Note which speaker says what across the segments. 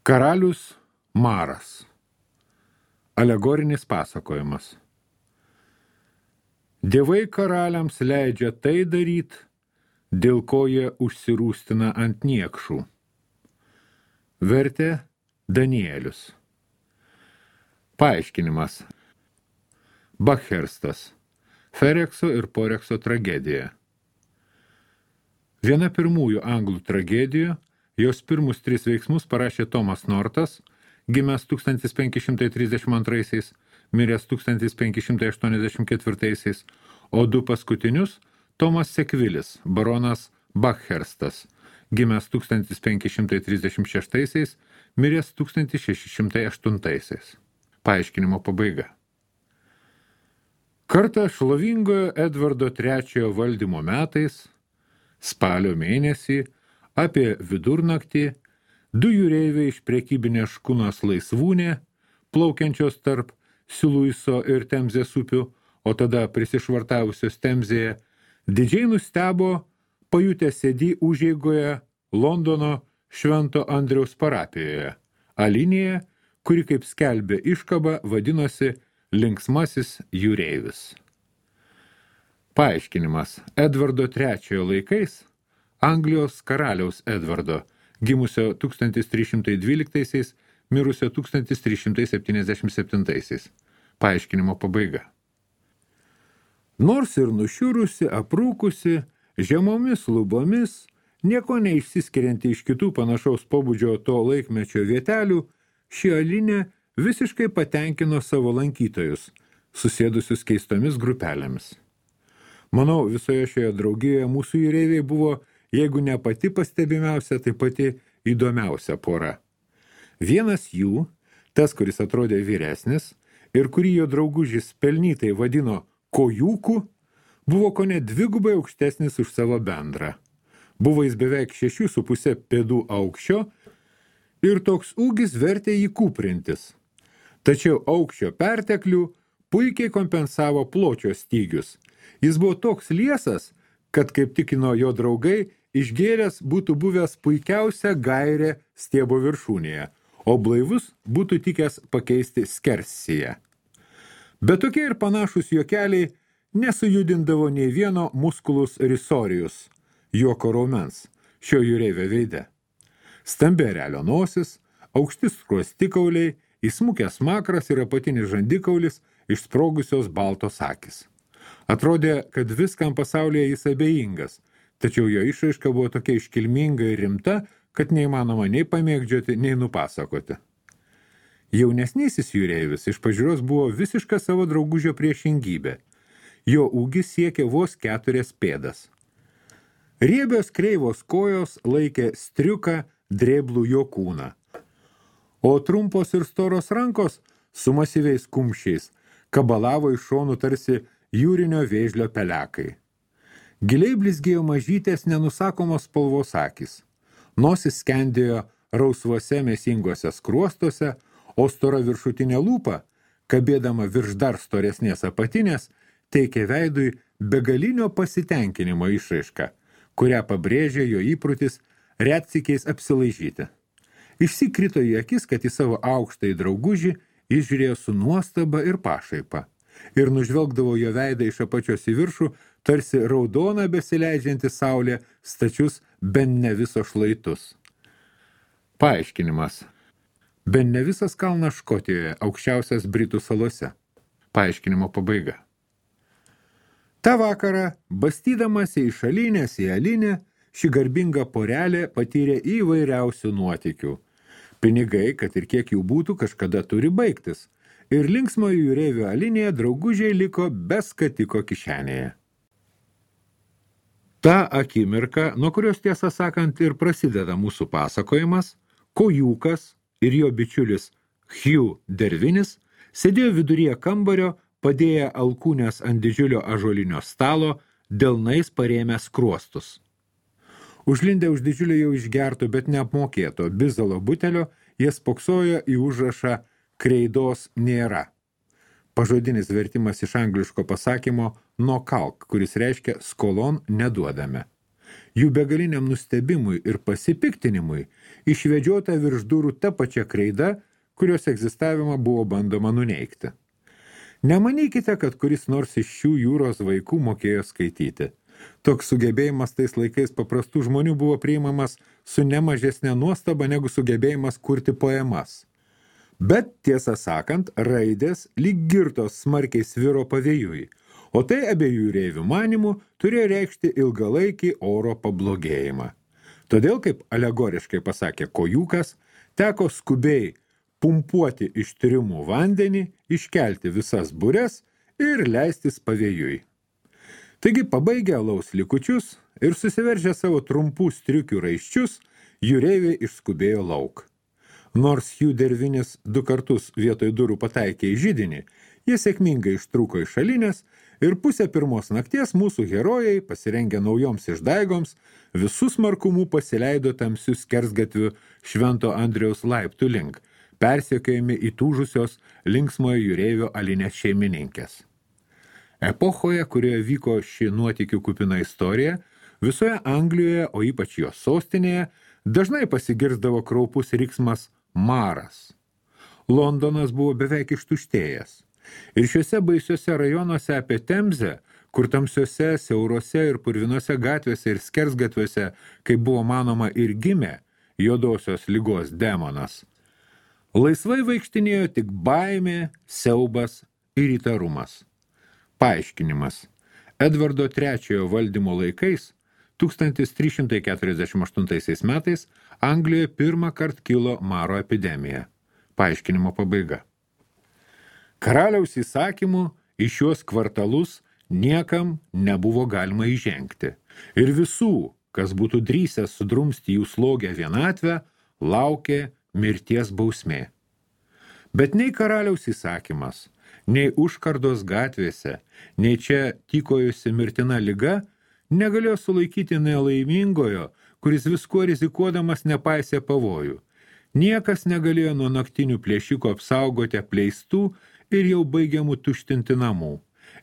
Speaker 1: Karalius Maras. Alegorinis pasakojimas. Dievai karaliams leidžia tai daryti, dėl ko jie užsirūstina ant niekšų. Vertė Danielius. Paaiškinimas. Bakherstas. Ferekso ir Porekso tragedija. Viena pirmųjų anglų tragedijų, jos pirmus 3 veiksmus parašė Thomas Nortas, gimęs 1532, miręs 1584, o 2 paskutinius Tomas Sekvilis, baronas Bakherstas, gimęs 1536, miręs 1608. Paaiškinimo pabaiga. Kartą šlovingojo Edvardo III valdymo metais, spalio mėnesį, apie vidurnaktį, 2 jūreiviai iš prekybinės škunos Laisvūnė, plaukiančios tarp Siluiso ir Temzės upių, o tada prisišvartavusios Temzėje, didžiai nustebo, pajutę sėdį užeigoje Londono Švento Andriaus parapijoje, Alinėje, kuri, kaip skelbė iškaba, vadinosi Linksmasis jūreivis. Paaiškinimas. Edvardo III laikais, Anglijos karaliaus Edvardo, gimusio 1312, mirusio 1377. Paaiškinimo pabaiga. Nors ir nušiurusi, aprūkusi, žemomis lubomis, nieko neišsiskirianti iš kitų panašaus pobūdžio to laikmečio vietelių, ši Alinė visiškai patenkino savo lankytojus, susėdusius keistomis grupelėmis. Manau, visoje šioje draugijoje mūsų jūreiviai buvo, jeigu ne pati pastebimiausia, tai pati įdomiausia pora. Vienas jų, tas, kuris atrodė vyresnis ir kurį jo draugužis pelnytai vadino kojūku, buvo kone 2 aukštesnis už savo bendrą. Buvo jis beveik 6,5 pėdų aukščio ir toks ūgis vertė jį kūprintis. Tačiau aukščio perteklių puikiai kompensavo pločio stygius. Jis buvo toks liesas, kad, kaip tikino jo draugai, išgėręs būtų buvęs puikiausia gairė stiebo viršūnėje, o blaivus būtų tikęs pakeisti skersiją. Bet tokie ir panašus juokeliai nesujudindavo nei vieno musculus risorijus, juoko raumens, šio jūreivio veide. Stambi erelio nosis, aukšti skruostikauliai, įsmukęs makras ir apatinis žandikaulis, išsprogusios baltos akys. Atrodė, kad viskam pasaulyje jis abejingas, tačiau jo išraiška buvo tokia iškilminga ir rimta, kad neįmanoma nei pamėgdžioti, nei nupasakoti. Jaunesnysis jūreivis iš pažiūros buvo visiška savo draugužio priešingybė. Jo ūgis siekė vos 4 pėdas. Riebios kreivos kojos laikė striuką drėblų jo kūną, o trumpos ir storos rankos su masyviais kumščiais kabalavo iš šonų tarsi jūrinio vėžlio pelekai. Giliai blizgėjo mažytės nenusakomos spalvos akys. Nosis skendėjo rausvuose mėsingose skruostuose, o stora viršutinė lūpa, kabėdama virš dar storesnės apatinės, teikė veidui begalinio pasitenkinimo išraišką, kurią pabrėžė jo įprutis retsykiais apsilaižyti. Išsikrito į akis, kad į savo aukštąjį draugužį jis žiūrėjo su nuostaba ir pašaipa ir nužvelgdavo jo veidą iš apačios į viršų, tarsi raudona besileidžianti saulė stačius ben ne viso šlaitus. Paaiškinimas. Ben ne visas kalnas Škotijoje, aukščiausias Britų salose. Paaiškinimo pabaiga. Ta vakarą, bastydamasi iš Alinės į Alinę, ši garbinga porelė patyrė įvairiausių nuotykių. Pinigai, kad ir kiek jų būtų, kažkada turi baigtis. Ir linksmojo jūreivio Alinėje draugužiai liko be skatiko kišenėje. Ta akimirka, nuo kurios tiesą sakant ir prasideda mūsų pasakojimas, kojūkas ir jo bičiulis Hugh Dervinis sėdėjo viduryje kambario, padėję alkūnės ant didžiulio ąžuolinio stalo, delnais parėmę skruostus. Užlindę už didžiulio jau išgerto, bet neapmokėto bizalo butelio, jie spoksojo į užrašą kreidos nėra. Pažodinis vertimas iš angliško pasakymo no kalk, kuris reiškia skolon neduodame. Jų begaliniam nustebimui ir pasipiktinimui išvedžiota virš durų ta pačia kreida, kurios egzistavimą buvo bandoma nuneigti. Nemanykite, kad kuris nors iš šių jūros vaikų mokėjo skaityti. Toks sugebėjimas tais laikais paprastų žmonių buvo priimamas su nemažesnė nuostaba negu sugebėjimas kurti poemas. Bet, tiesą sakant, raidės lyg girtos smarkiai sviro pavėjui, o tai abiejų jūreivių manimų turėjo reikšti ilgalaikį oro pablogėjimą. Todėl, kaip alegoriškai pasakė Kojukas, teko skubiai pumpuoti iš tyrimų vandenį, iškelti visas bures ir leistis pavėjui. Taigi, pabaigę alaus likučius ir susiveržę savo trumpų striukių raiščius, jūreiviai išskubėjo lauk. Nors jų dervinis 2 kartus vietoj durų pataikė į židinį, jie sėkmingai ištrūko iš šalinės ir 2:30 nakties mūsų herojai, pasirengę naujoms išdaigoms, visus smarkumų pasileido tamsių skersgatvių Švento Andriaus laiptų link, persekiojami įtūžusios linksmojo jūreivio alinės šeimininkės. Epochoje, kurioje vyko ši nuotykių kupina istorija, visoje Anglijoje, o ypač jos sostinėje, dažnai pasigirzdavo kraupus riksmas maras. Londonas buvo beveik ištuštėjęs. Ir šiuose baisiuose rajonuose apie Temzę, kur tamsiuose, siaurose ir purvinuose gatvėse ir skersgatviuose, kaip buvo manoma, ir gimė juodosios ligos demonas, laisvai vaikštinėjo tik baimė, siaubas ir įtarumas. Paaiškinimas. Edvardo III valdymo laikais 1348 metais Anglijoje pirmą kartą kilo maro epidemija. Paaiškinimo pabaiga. Karaliaus įsakymu į šiuos kvartalus niekam nebuvo galima įžengti. Ir visų, kas būtų drįsęs sudrumsti jų slogę vienatvę, laukė mirties bausmė. Bet nei karaliaus įsakymas, nei užkardos gatvėse, nei čia tykojusi mirtina liga negalėjo sulaikyti nelaimingojo, kuris viskuo rizikuodamas nepaisė pavojų. Niekas negalėjo nuo naktinių plėšikų apsaugoti apleistų ir jau baigiamų tuštinti namų.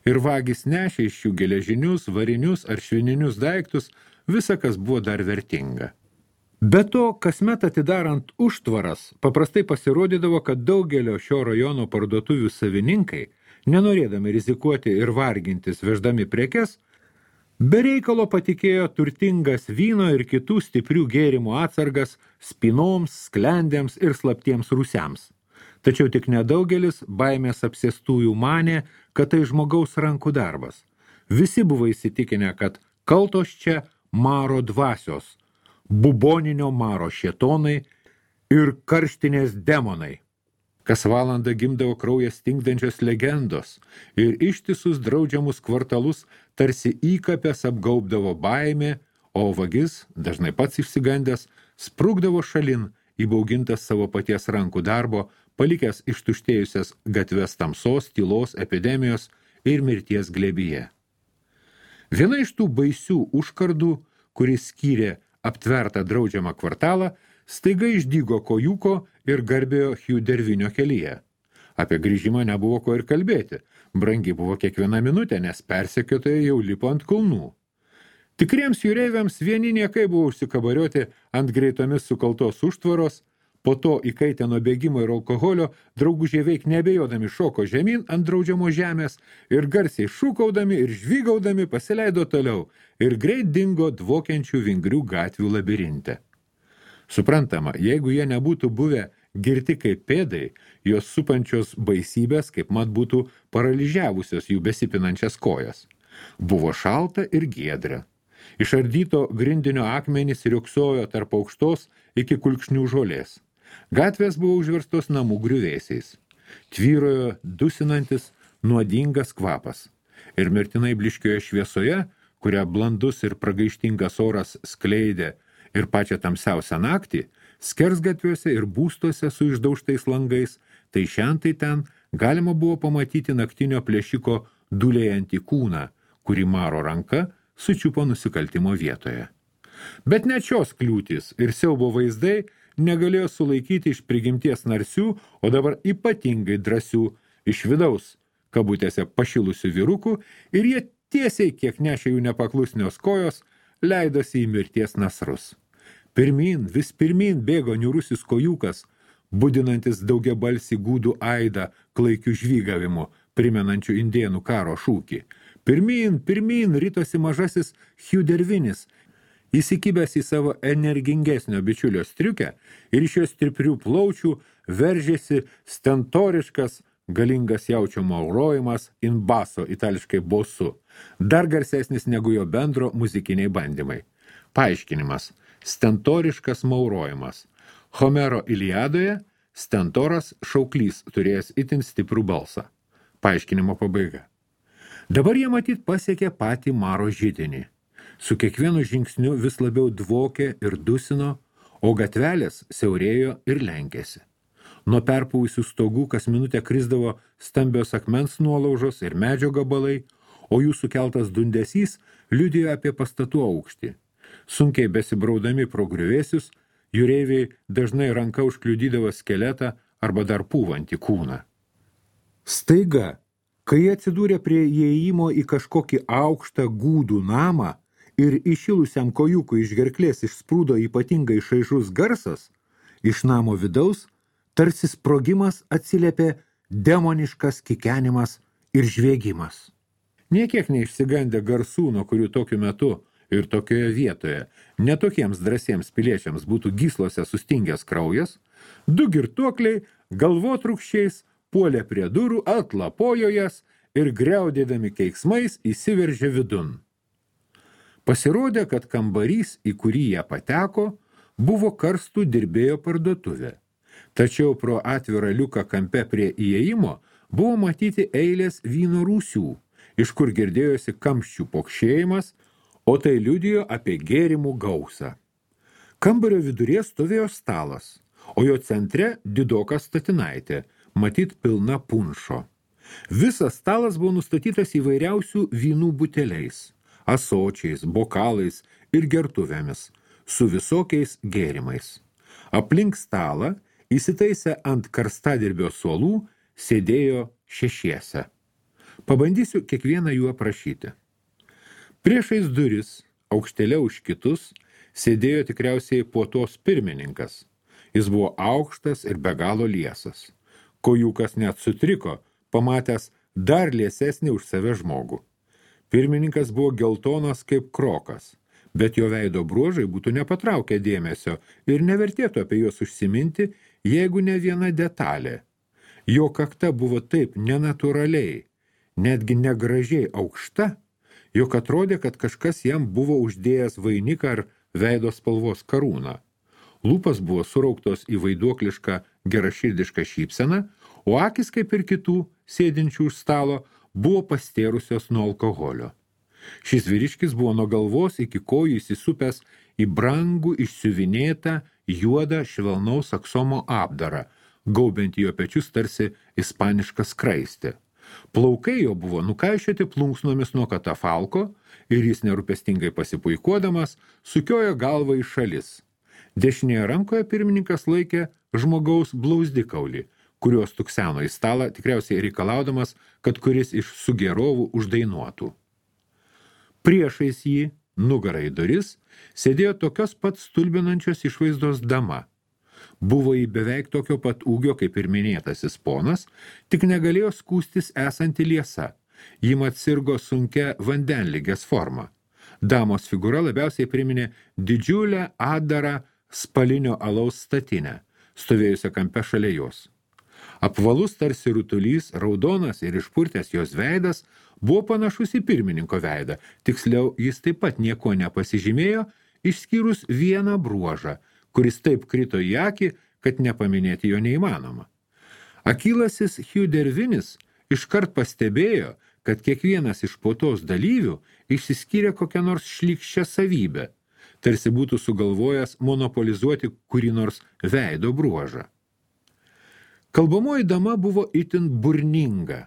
Speaker 1: Ir vagys nešė iš jų geležinius, varinius ar švininius daiktus, visa, kas buvo dar vertinga. Be to, kasmet atidarant užtvaras, paprastai pasirodydavo, kad daugelio šio rajono parduotuvių savininkai, nenorėdami rizikuoti ir vargintis veždami prekes, be reikalo patikėjo turtingas vyno ir kitų stiprių gėrimų atsargas spinoms, sklendėms ir slaptiems rūsiams. Tačiau tik nedaugelis baimės apsėstųjų manė, kad tai žmogaus rankų darbas. Visi buvo įsitikinę, kad kaltos čia maro dvasios, buboninio maro šėtonai ir karštinės demonai. Kas valandą gimdavo kraują stingdančios legendos ir ištisus draudžiamus kvartalus tarsi įkapės apgaubdavo baimė, o vagis, dažnai pats išsigandęs, sprukdavo šalin, įbaugintas savo paties rankų darbo, palikęs ištuštėjusias gatves tamsos, tylos, epidemijos ir mirties glėbyje. Viena iš tų baisių užkardų, kuris skyrė aptvertą draudžiamą kvartalą, staiga išdygo Kojuko ir garbėjo Hugh Dervinio kelyje. Apie grįžimą nebuvo ko ir kalbėti. Brangi buvo kiekviena minutė, nes persekiotojai jau lipo ant kulnų. Tikriems jūreiviams vieni niekai buvo užsikabarioti ant greitomis sukaltos užtvaros, po to įkaitę nuo bėgimo ir alkoholio, draugužiai veik nebejodami šoko žemyn ant draudžiamo žemės ir garsiai šūkaudami ir žvygaudami pasileido toliau ir greit dingo dvokiančių vingrių gatvių labirinte. Suprantama, jeigu jie nebūtų buvę girti kaip pėdai, jos supančios baisybės kaip mat būtų paralyžiavusios jų besipinančias kojas. Buvo šalta ir giedra. Išardyto grindinio akmenys riuksojo tarp aukštos iki kulkšnių žolės. Gatvės buvo užverstos namų griuvėsiais. Tvyrojo dusinantis nuodingas kvapas. Ir mirtinai bliškioje šviesoje, kurią blandus ir pragaištingas oras skleidė ir pačią tamsiausią naktį, skersgatviuose ir būstuose su išdaužtais langais, tai šiandien ten galima buvo pamatyti naktinio plėšiko dūlėjantį kūną, kurį maro ranka sučiupo nusikaltimo vietoje. Bet net šios kliūtys ir siaubo vaizdai negalėjo sulaikyti iš prigimties narsių, o dabar ypatingai drąsių iš vidaus, kabutėse pašilusių vyrukų, ir jie tiesiai, kiek nešė jų nepaklusnios kojos, leidosi į mirties nasrus. Pirmyn, vis pirmyn bėgo niūrusis kojukas, budinantis daugiabalsį gūdų aidą klaikių žvygavimu, primenančių indėnų karo šūkį. Pirmyn, pirmyn ritosi mažasis Hiudervinis, įsikibęs į savo energingesnio bičiulio striukę ir iš jos stiprių plaučių veržėsi stentoriškas, galingas jaučio maurojimas in baso, itališkai bosu, dar garsesnis negu jo bendro muzikiniai bandymai. Paaiškinimas. Stentoriškas maurojimas. Homero Iliadoje stentoras šauklys turėjęs itin stiprų balsą. Paaiškinimo pabaiga. Dabar jie matyt pasiekė patį Maro židinį. Su kiekvienu žingsniu vis labiau dvokė ir dusino, o gatvelės siaurėjo ir lenkėsi. Nuo perpūvusių stogų kas minutę krisdavo stambios akmens nuolaužos ir medžio gabalai, o jų sukeltas dundesys liudijo apie pastatų aukštį. Sunkiai besibraudami pro griuvėsius, jūreiviai dažnai ranka užkliudydavo skeletą arba dar pūvantį kūną. Staiga, kai jie atsidūrė prie įėjimo į kažkokį aukštą gūdų namą ir įšilusiam kojukui iš gerklės išsprūdo ypatingai šaižus garsas, iš namo vidaus tarsi sprogimas atsiliepė demoniškas kikenimas ir žviegimas. Niekiek neišsigandę garsų, nuo kurių tokiu metu ir tokioje vietoje netokiems drąsiems piliečiams būtų gyslose sustingęs kraujas, du girtuokliai galvotrūkščiais puolė prie durų, atlapojo jas ir griaudėdami keiksmais įsiveržė vidun. Pasirodė, kad kambarys, į kurį jie pateko, buvo karstų dirbėjo parduotuvė. Tačiau pro atvirą liuką kampe prie įėjimo buvo matyti eilės vyno rūsių, iš kur girdėjosi kamščių pokšėjimas, o tai liudijo apie gėrimų gausą. Kambario viduryje stovėjo stalas, o jo centre didoka statinaitė, matyt pilna punšo. Visas stalas buvo nustatytas įvairiausių vynų buteliais, ąsočiais, bokalais ir gertuvėmis, su visokiais gėrimais. Aplink stalą, įsitaisę ant karstadirbio suolų, sėdėjo šešiese. Pabandysiu kiekvieną jų aprašyti. Priešais duris, aukštėliau už kitus, sėdėjo tikriausiai puotos pirmininkas. Jis buvo aukštas ir be galo liesas. Kojukas net sutriko, pamatęs dar liesesnį už save žmogų. Pirmininkas buvo geltonas kaip krokas, bet jo veido bruožai būtų nepatraukę dėmesio ir nevertėtų apie juos užsiminti, jeigu ne viena detalė. Jo kakta buvo taip nenatūraliai, netgi negražiai aukšta, jog atrodė, kad kažkas jam buvo uždėjęs vainiką ar veido spalvos karūną. Lūpas buvo surauktos į vaiduoklišką geraširdišką šypseną, o akis, kaip ir kitų, sėdinčių už stalo, buvo pastėrusios nuo alkoholio. Šis vyriškis buvo nuo galvos iki kojų įsisupęs į brangų išsiuvinėtą juodą švelnaus aksomo apdarą, gaubiant jo pečius tarsi ispanišką skraistę. Plaukai jo buvo nukaišioti plunksnomis nuo katafalko ir jis nerūpestingai pasipuikuodamas sukiojo galvą į šalis. Dešinėje rankoje pirmininkas laikė žmogaus blauzdikaulį, kuriuos tukseno į stalą, tikriausiai reikalaudamas, kad kuris iš sugėrovų uždainuotų. Priešais jį, nugarą į duris, sėdėjo tokios pat stulbinančios išvaizdos dama. Buvo į beveik tokio pat ūgio kaip ir minėtasis ponas, tik negalėjo skūstis esanti liesa. Ji mat sirgo sunkia vandenligės forma. Damos figūra labiausiai priminė didžiulę adarą spalinio alaus statinę, stovėjusią kampe šalia jos. Apvalus tarsi rutulys, raudonas ir išpurtęs jos veidas buvo panašus į pirmininko veidą, tiksliau jis taip pat nieko nepasižymėjo, išskyrus vieną bruožą, kuris taip krito į akį, kad nepaminėti jo neįmanoma. Akylasis Hiudervinis iškart pastebėjo, kad kiekvienas iš puotos dalyvių išsiskyrė kokią nors šlykščią savybę, tarsi būtų sugalvojęs monopolizuoti kurį nors veido bruožą. Kalbamoji dama buvo itin burninga.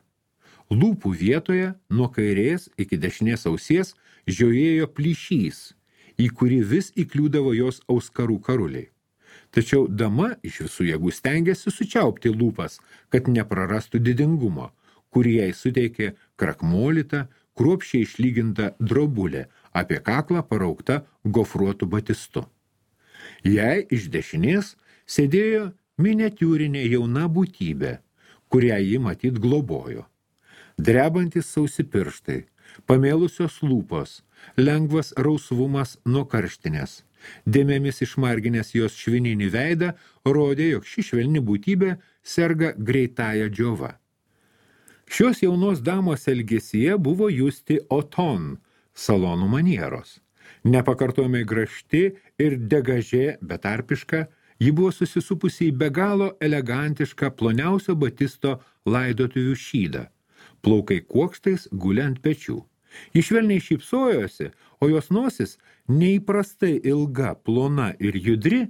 Speaker 1: Lūpų vietoje nuo kairės iki dešinės ausies žiojėjo plyšys, į kurį vis įkliūdavo jos auskarų karuliai. Tačiau dama iš visų jėgų stengėsi sučiaupti lūpas, kad neprarastų didingumo, kurį jai suteikė krakmolyta, kruopščiai išlyginta drobulė, apie kaklą paraukta gofruotų batistu. Jai iš dešinės sėdėjo miniatiūrinė jauna būtybė, kurią ji matyt globojo. Drebantis sausi pirštai, pamėlusios lūpos, lengvas rausvumas nuo karštinės, dėmėmis išmarginęs jos švininį veidą, rodė, jog ši švelni būtybė serga greitąja džiova. Šios jaunos damos elgesyje buvo justi oton, salonų manieros. Nepakartojamai gražti ir degažė betarpiška, ji buvo susisupusi į be galo elegantišką ploniausio batisto laidotuvių šydą. Plaukai kuokštais guli ant pečių. Ji švelniai šypsojosi, o jos nosis neįprastai ilga, plona ir judri,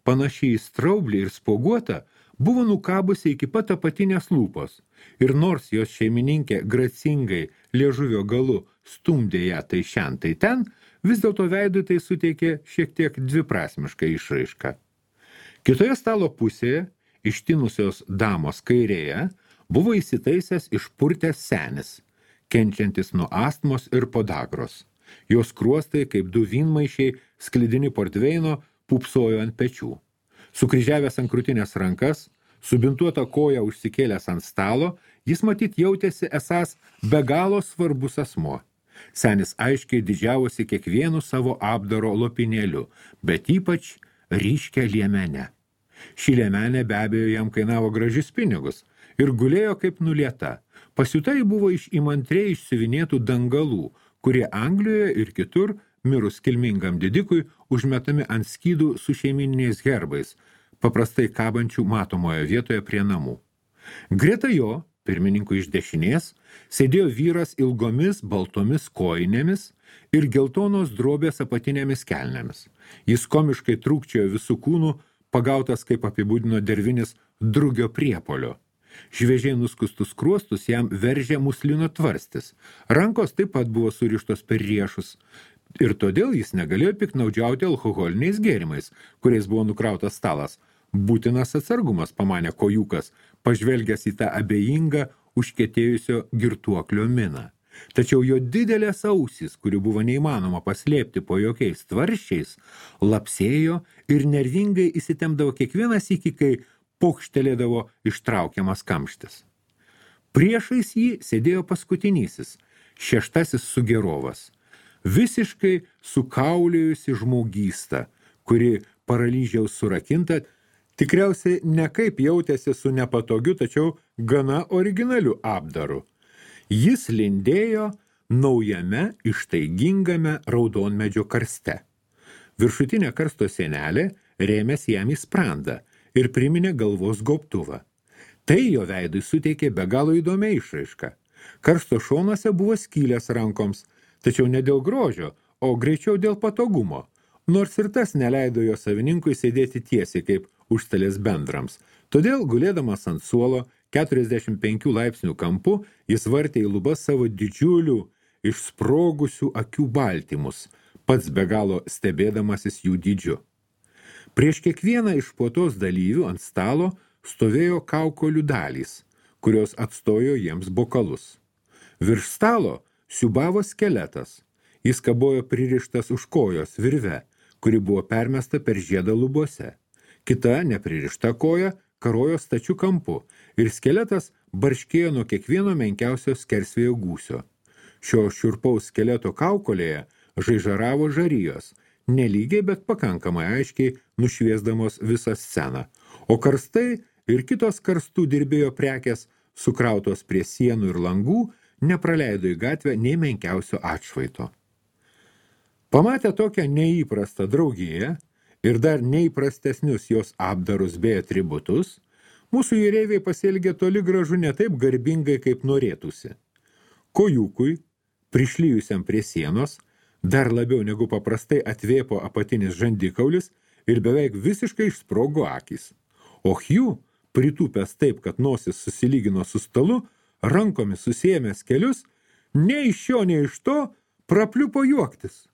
Speaker 1: panašiai į straublį ir spuoguota, buvo nukabusi iki pat apatinės lūpos, ir nors jos šeimininkė gracingai liežuvio galu stumdė ją tai šen, tai ten, vis dėlto veidui tai suteikė šiek tiek dviprasmišką išraišką. Kitoje stalo pusėje, ištinusios damos kairėje, buvo įsitaisęs išpurtęs senis, kenčiantis nuo astmos ir podagros. Jos skruostai, kaip du vynmaišiai, sklidini portveino, pupsojo ant pečių. Sukryžiavęs ant krūtinės rankas, subintuota koja užsikėlęs ant stalo, jis matyt jautėsi esąs be galo svarbus asmuo. Senis aiškiai didžiavosi kiekvienu savo apdaro lopinėliu, bet ypač ryškia liemenė. Ši liemenė be abejo jam kainavo gražius pinigus ir gulėjo kaip nulieta. Pasiutai buvo iš įmantriai išsiuvinėtų dangalų, kurie Anglijoje ir kitur, mirus kilmingam didikui, užmetami ant skydų su šeimininiais herbais, paprastai kabančių matomoje vietoje prie namų. Greta jo, pirmininkui iš dešinės, sėdėjo vyras ilgomis baltomis kojinėmis ir geltonos drobės apatinėmis kelnėmis. Jis komiškai trūkčiojo visų kūnų, pagautas, kaip apibūdino Dervinis, drugio priepolio. Šviežiai nuskustus skruostus jam veržė muslino tvarstis. Rankos taip pat buvo surištos per riešus. Ir todėl jis negalėjo piknaudžiauti alkoholiniais gėrimais, kuriais buvo nukrautas stalas. Būtinas atsargumas, pamanė kojukas, pažvelgęs į tą abejingą, užkietėjusio girtuoklio miną. Tačiau jo didelės ausys, kurių buvo neįmanoma paslėpti po jokiais tvarščiais, lapsėjo ir nervingai įsitemdavo kiekvieną sykį, kai pokštelėdavo ištraukiamas kamštis. Priešais jį sėdėjo paskutinysis, šeštasis sugerovas, visiškai sukaulėjusi žmogysta, kuri paralyžiaus surakinta, tikriausiai nekaip jautėsi su nepatogiu, tačiau gana originaliu apdaru. Jis lindėjo naujame ištaigingame raudonmedžio karste. Viršutinė karsto sienelė rėmėsi jam į sprandą ir priminė galvos gobtuvą. Tai jo veidui suteikė be galo įdomią išraišką. Karsto šonuose buvo skylės rankoms, tačiau ne dėl grožio, o greičiau dėl patogumo, nors ir tas neleido jo savininkui sėdėti tiesiai kaip užstalės bendrams. Todėl, gulėdamas ant suolo, 45 laipsnių kampu, jis vartė į lubas savo didžiulių, išsprogusių akių baltymus, pats be galo stebėdamasis jų dydžiu. Prieš kiekvieną iš puotos dalyvių ant stalo stovėjo kaukolių dalys, kurios atstojo jiems bokalus. Virš stalo siūbavo skeletas. Jis kabojo pririštas už kojos virve, kuri buvo permesta per žiedą lubose. Kita nepririšta koja karojo stačiu kampu ir skeletas barškėjo nuo kiekvieno menkiausio skersvėjo gūsio. Šio šiurpaus skeleto kaukolėje žaižaravo žarijos, nelygiai, bet pakankamai aiškiai nušviesdamos visą sceną, o karstai ir kitos karstų dirbėjo prekės, sukrautos prie sienų ir langų, nepraleido į gatvę nei menkiausio atšvaito. Pamatę tokią neįprastą draugiją ir dar neįprastesnius jos apdarus bei atributus, mūsų jūreiviai pasielgė toli gražu ne taip garbingai, kaip norėtųsi. Kojukui, prišlyjusiam prie sienos, dar labiau negu paprastai atvėpo apatinis žandikaulis ir beveik visiškai išsprogo akys. O Hugh, pritūpęs taip, kad nosis susilygino su stalu, rankomis susiėmęs kelius, nei iš šio, nei iš to, prapliupo juoktis.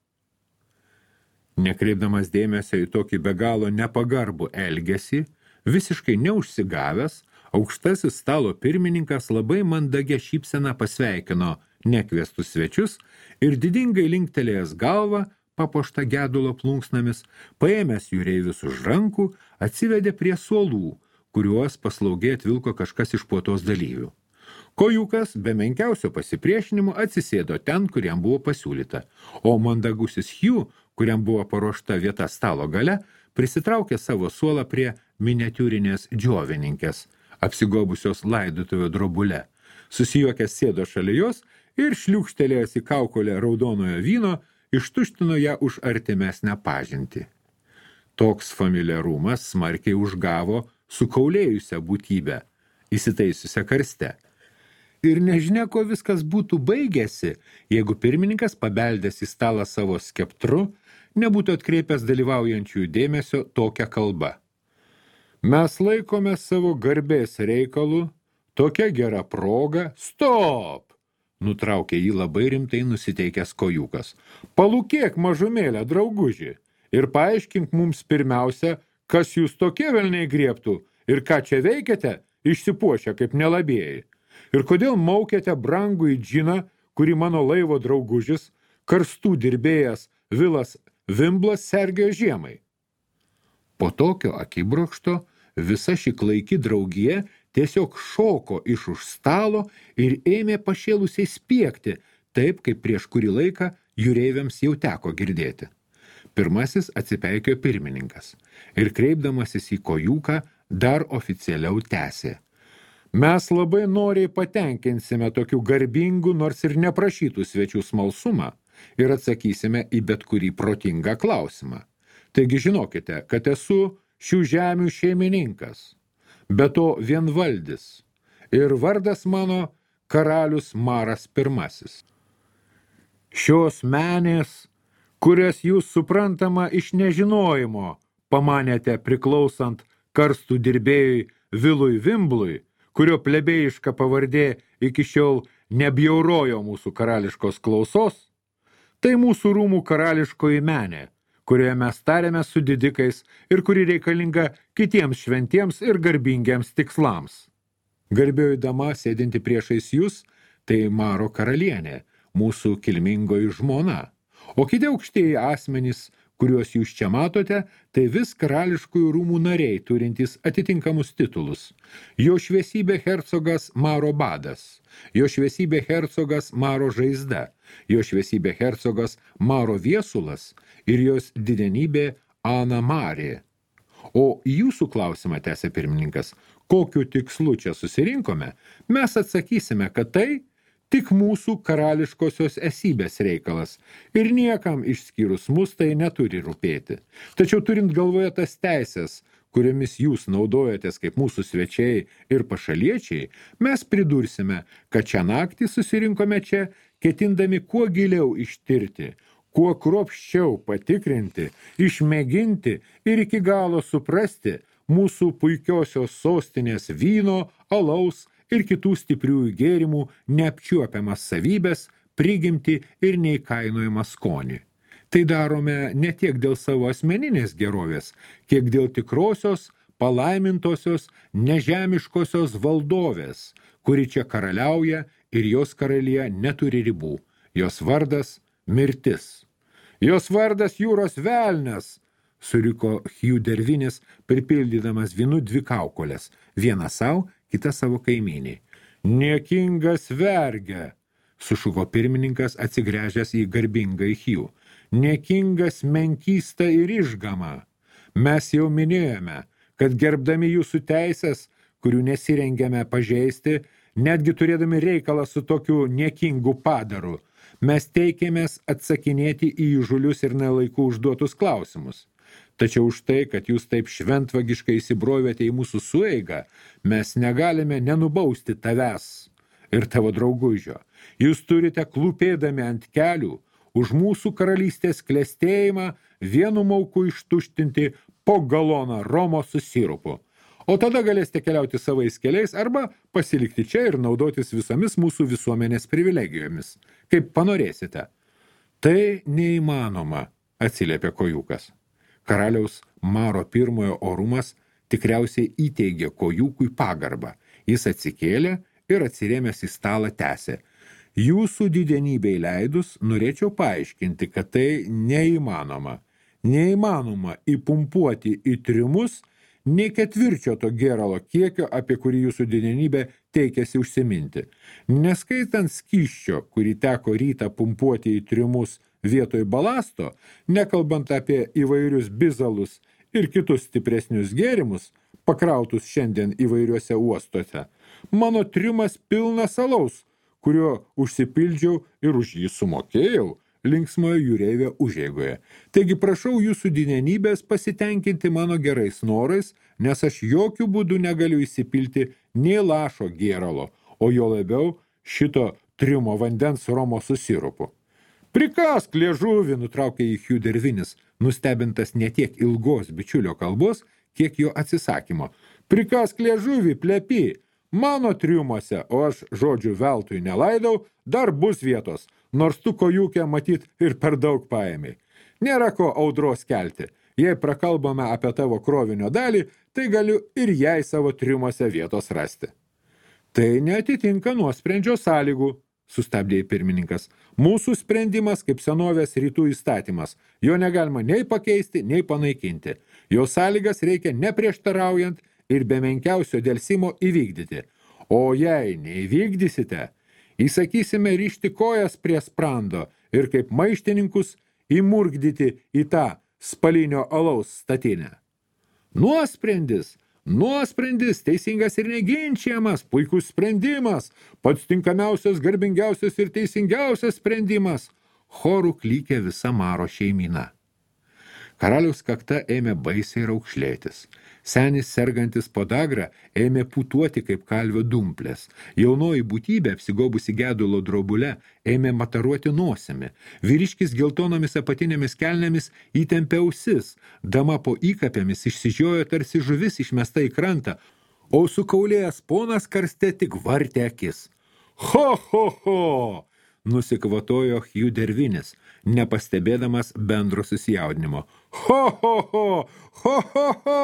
Speaker 1: Nekreipdamas dėmesio į tokį be galo nepagarbų elgesį, visiškai neužsigavęs, Aukštasis stalo pirmininkas labai mandagia šypsena pasveikino nekviestus svečius ir didingai linktelėjęs galvą, papuoštą gedulo plunksnomis, paėmęs jūreivius už rankų, atsivedė prie suolų, kuriuos paslaugiai atvilko kažkas iš puotos dalyvių. Kojukas be menkiausio pasipriešinimo atsisėdo ten, kur jam buvo pasiūlyta, o mandagusis Hugh, kuriam buvo paruošta vieta stalo gale, prisitraukė savo suolą prie miniatiūrinės džiovininkės, apsigobusios laidotuvių drobule. Susijuokęs sėdo šalia jos ir šliūkštelėjęs į kaukolę raudonojo vyno, ištuštino ją už artimesnę pažintį. Toks familiarumas smarkiai užgavo sukaulėjusią būtybę, įsitaisiusią karste. Ir nežinia, ko viskas būtų baigėsi, jeigu pirmininkas pabeldęs į stalą savo skeptru, nebūtų atkreipęs dalyvaujančiųjų dėmesio tokią kalbą. Mes laikome savo garbės reikalų, tokia gera proga, stop! Nutraukė jį labai rimtai nusiteikęs Kojukas. Palūkėk mažumėlę, drauguži, ir paaiškink mums pirmiausia, kas jūs tokie velniai griebtų ir ką čia veikiate, išsipuošę kaip nelabėjai. Ir kodėl maukėte brangų į džiną, kurį mano laivo draugužis, karstų dirbėjas Vilas Vimblas sergėjo žiemai. Po tokio akibrokšto visa ši klaiki draugija tiesiog šoko iš už stalo ir ėmė pašėlusiai spiegti, taip kaip prieš kurį laiką jūreiviams jau teko girdėti. Pirmasis atsipeikėjo pirmininkas ir kreipdamasis į Kojuką dar oficialiau tęsė. Mes labai noriai patenkinsime tokių garbingų, nors ir neprašytų svečių smalsumą ir atsakysime į bet kurį protingą klausimą. Taigi žinokite, kad esu šių žemių šeimininkas, be to vienvaldis, ir vardas mano karalius Maras I. Šios menės, kurias jūs suprantama iš nežinojimo, pamanėte priklausant karstų dirbėjui Vilui Vimblui, kurio plebėjiška pavardė iki šiol nebjaurojo mūsų karališkos klausos, tai mūsų rūmų karališkoji menė, kurioje mes tarėme su didikais ir kuri reikalinga kitiems šventiems ir garbingiems tikslams. Garbioji dama, sėdinti priešais jūs, tai Maro karalienė, mūsų kilmingoji žmona, o kiti aukštieji asmenys, kuriuos jūs čia matote, tai vis karališkųjų rūmų nariai, turintys atitinkamus titulus. Jo šviesybė hercogas Maro Badas, jo šviesybė hercogas Maro Žaizda, jo šviesybė hercogas Maro Viesulas ir jos didenybė Ana Marė. O jūsų klausimą, tęsė pirmininkas, kokiu tikslu čia susirinkome, mes atsakysime, kad tai tik mūsų karališkosios esybės reikalas ir niekam išskyrus mus tai neturi rūpėti. Tačiau turint galvoje tas teisės, kuriomis jūs naudojatės kaip mūsų svečiai ir pašaliečiai, mes pridursime, kad šią naktį susirinkome čia, ketindami kuo giliau ištirti, kuo kruopščiau patikrinti, išmėginti ir iki galo suprasti mūsų puikiosios sostinės vyno, alaus ir kitų stipriųjų gėrimų neapčiuopiamas savybės, prigimtį ir neįkainojamą skonį. Tai darome ne tiek dėl savo asmeninės gerovės, kiek dėl tikrosios, palaimintosios, nežemiškosios valdovės, kuri čia karaliauja ir jos karalija neturi ribų. Jos vardas – mirtis. Jos vardas jūros velnias, suriko Hugh Dervinis, pripildydamas vynu 2 kaukolės, vieną savo, kitą savo kaimynį. Niekingas verge, sušuko pirmininkas atsigręžęs į garbingą Hugh. Niekingas menkysta ir išgama. Mes jau minėjome, kad gerbdami jūsų teisės, kurių nesirengiame pažeisti, netgi turėdami reikalą su tokiu niekingu padaru, mes teikėmės atsakinėti į įžulius ir nelaiku užduotus klausimus. Tačiau už tai, kad jūs taip šventvagiškai įsibrovėte į mūsų sueigą, mes negalime nenubausti tavęs ir tavo draugužio. Jūs turite klūpėdami ant kelių už mūsų karalystės klestėjimą vienu mauku ištuštinti po galoną romo su sirupu. O tada galėsite keliauti savais keliais arba pasilikti čia ir naudotis visomis mūsų visuomenės privilegijomis, kaip panorėsite. Tai neįmanoma, atsiliepė Kojukas. Karaliaus Maro I orumas tikriausiai įteigė Kojukui pagarbą Jis atsikėlė ir atsirėmęs į stalą tęsė. Jūsų didenybei leidus norėčiau paaiškinti, kad tai neįmanoma. Neįmanoma įpumpuoti į trimus nei ketvirčio to gėralo kiekio, apie kurį jūsų didenybė teikėsi užsiminti. Neskaitant skysčio, kurį teko rytą pumpuoti į trimus vietoj balasto, nekalbant apie įvairius bizalus ir kitus stipresnius gėrimus, pakrautus šiandien įvairiuose uostuose, mano trimas pilnas alaus, kurio užsipildžiau ir už jį sumokėjau linksmojo jūreivio užeigoje. Taigi prašau jūsų didenybės pasitenkinti mano gerais norais, nes aš jokių būdų negaliu įsipilti nei lašo gėralo, o jo labiau šito trimo vandens romo su sirupu. Prikask liežuvį, nutraukė į Hugh Dervinis, nustebintas ne tiek ilgos bičiulio kalbos, kiek jo atsisakymo. Prikask liežuvį, plepi, mano triumuose, o aš žodžių veltui nelaidau, dar bus vietos, nors tu kojūkę matyt ir per daug paėmei. Nėra ko audros kelti. Jei prakalbame apie tavo krovinio dalį, tai galiu ir jai savo triumuose vietos rasti. Tai neatitinka nuosprendžio sąlygų, sustabdė pirmininkas. Mūsų sprendimas kaip senovės rytų įstatymas. Jo negalima nei pakeisti, nei panaikinti. Jo sąlygas reikia neprieštaraujant ir be menkiausio delsimo įvykdyti. O jei neįvykdysite, įsakysime rišti kojas prie sprando ir kaip maištininkus įmurgdyti į tą spalinio alaus statinę. Nuosprendis, teisingas ir neginčiamas, puikus sprendimas, pats tinkamiausias, garbingiausias ir teisingiausias sprendimas. Chorų klykė visa Maro šeimyna. Karaliaus kakta ėmė baisiai raukšlėtis. Senis sergantis podagra ėmė putuoti kaip kalvio dumplės. Jaunoji būtybė, apsigobusi gedulo drobule, ėmė mataruoti nosimi. Vyriškis geltonomis apatinėmis kelnėmis įtempė ausis. Dama po įkapėmis išsižiojo tarsi žuvis išmesta į krantą, o sukaulėjęs ponas karste tik vartė akis. Ho, ho, ho! Nusikvatojo Hugh Dervinis, nepastebėdamas bendro susijaudinimo. Ho, ho, ho! Ho, ho, ho!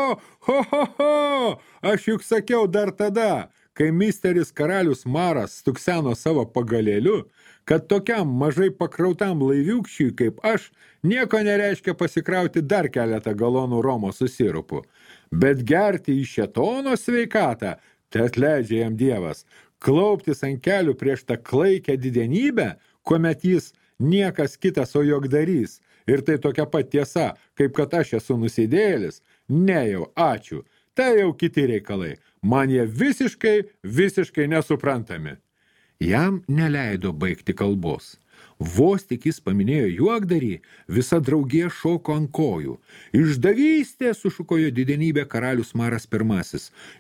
Speaker 1: Ho, ho, ho! Aš juk sakiau dar tada, kai misteris karalius Maras stukseno savo pagalėliu, kad tokiam mažai pakrautam laiviukščiui kaip aš nieko nereiškia pasikrauti dar keletą galonų romo su sirupu. Bet gerti į šėtono sveikatą, tai atleidžia jam Dievas. Klauptis ant kelių prieš tą klaikę didenybę, kuomet jis niekas kitas, o jogdarys. Ir tai tokia pat tiesa, kaip kad aš esu nusidėjėlis. Ne jau, ačiū. Tai jau kiti reikalai. Man jie visiškai nesuprantami. Jam neleido baigti kalbos. Vos tik jis paminėjo juokdarį, visa draugija šoko ant kojų. Išdavystė, sušukojo didenybė karalius Maras I.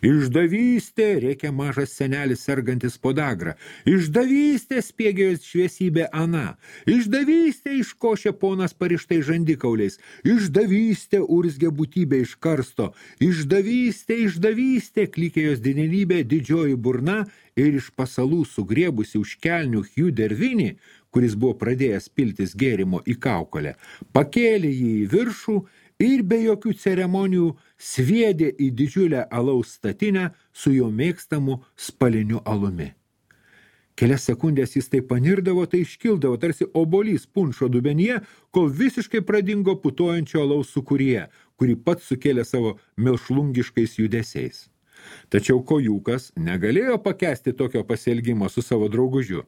Speaker 1: Išdavystė, rėkė mažas senelis sergantis podagra. Išdavystė, spiegėjos šviesybė Ana. Išdavystė, iškošė ponas parištai žandikauliais. Išdavystė, urzgė būtybė iš karsto. Išdavystė, klykė jos didenybė didžioji burna ir iš pasalų sugriebusi už kelnių Hugh Dervinį, kuris buvo pradėjęs piltis gėrimo į kaukolę, pakėlė jį į viršų ir be jokių ceremonijų sviedė į didžiulę alaus statinę su jo mėgstamu spaliniu alumi. Kelias sekundės jis tai panirdavo, tai iškildavo, tarsi obolys punšo dubenyje, kol visiškai pradingo putojančio alaus sūkuryje, kurį pats sukėlė savo milšlungiškais judesiais. Tačiau kojūkas negalėjo pakęsti tokio pasielgimo su savo draugužiu.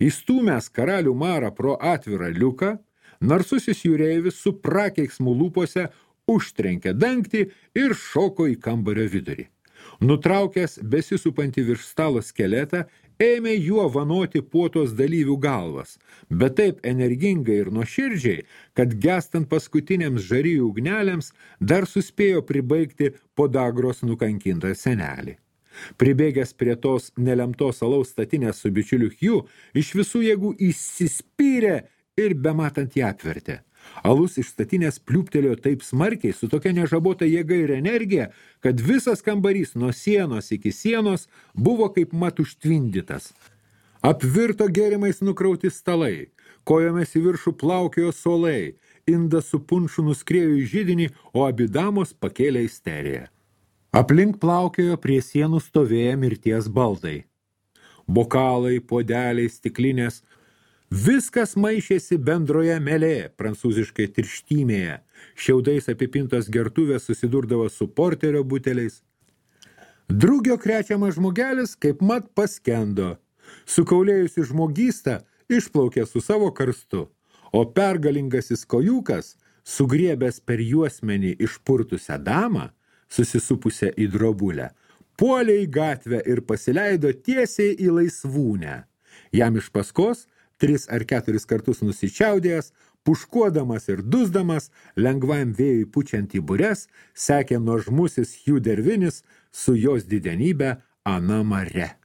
Speaker 1: Įstūmęs karalių Marą pro atvirą liuką, narsusis jūreivis su prakeiksmu lūpose užtrenkė dangtį ir šoko į kambario vidurį. Nutraukęs besisupantį virš stalo skeletą, ėmė juo vanoti puotos dalyvių galvas, bet taip energingai ir nuoširdžiai, kad gestant paskutiniams žarijų ugnelėms dar suspėjo pribaigti podagros nukankintą senelį. Pribėgęs prie tos nelemtos alaus statinės su bičiuliu Hugh, iš visų jėgų įsispyrė ir bematant ją apvertė. Alus iš statinės pliūptelėjo taip smarkiai, su tokia nežabota jėga ir energija, kad visas kambarys nuo sienos iki sienos buvo kaip mat užtvindytas. Apvirto gėrimais nukrauti stalai, kojomis į viršų plaukiojo suolai, indas su punšu nuskriejo į židinį, o abi damos pakėlė isteriją. Aplink plaukiojo prie sienų stovėję mirties baldai. Bokalai, podeliai, stiklinės, viskas maišėsi bendroje melė, prancūziškai tirštymėje, šiaudais apipintos gertuvės susidurdavo su porterio buteliais. Drugio krečiamas žmogelis kaip mat paskendo, sukaulėjusi žmogystą išplaukė su savo karstu, o pergalingasis kojukas, sugriebęs per juosmenį išpurtusią damą, susisupusią į drobulę, puolė į gatvę ir pasileido tiesiai į laisvūnę. Jam iš paskos 3 ar 4 kartus nusičiaudėjęs, puškuodamas ir dusdamas, lengvam vėjui pučiant į bures, sekė nuožmusis Hugh Dervinis su jos didenybe Ana Mare.